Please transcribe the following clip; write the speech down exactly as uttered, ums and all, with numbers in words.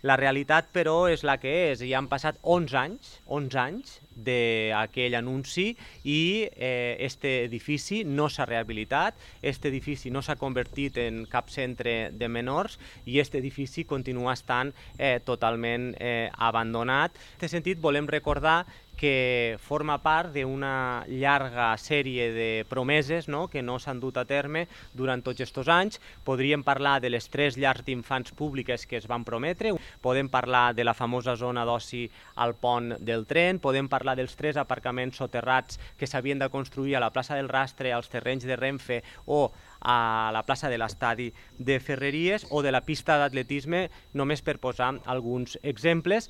La realitat, però, és la que és. Ja han passat onze anys, onze anys d'aquell anunci i eh, este edifici no s'ha rehabilitat, este edifici no s'ha convertit en cap centre de menors i este edifici continua estant eh, totalment eh, abandonat. En aquest sentit, volem recordar que forma part d'una llarga sèrie de promeses, no?, que no s'han dut a terme durant tots aquests anys. Podríem parlar de les tres llars d'infants públiques que es van prometre, podem parlar de la famosa zona d'oci al pont del tren, podem parlar dels tres aparcaments soterrats que s'havien de construir a la plaça del Rastre, als terrenys de Renfe o a la plaça de l'estadi de Ferreries o de la pista d'atletisme, només per posar alguns exemples.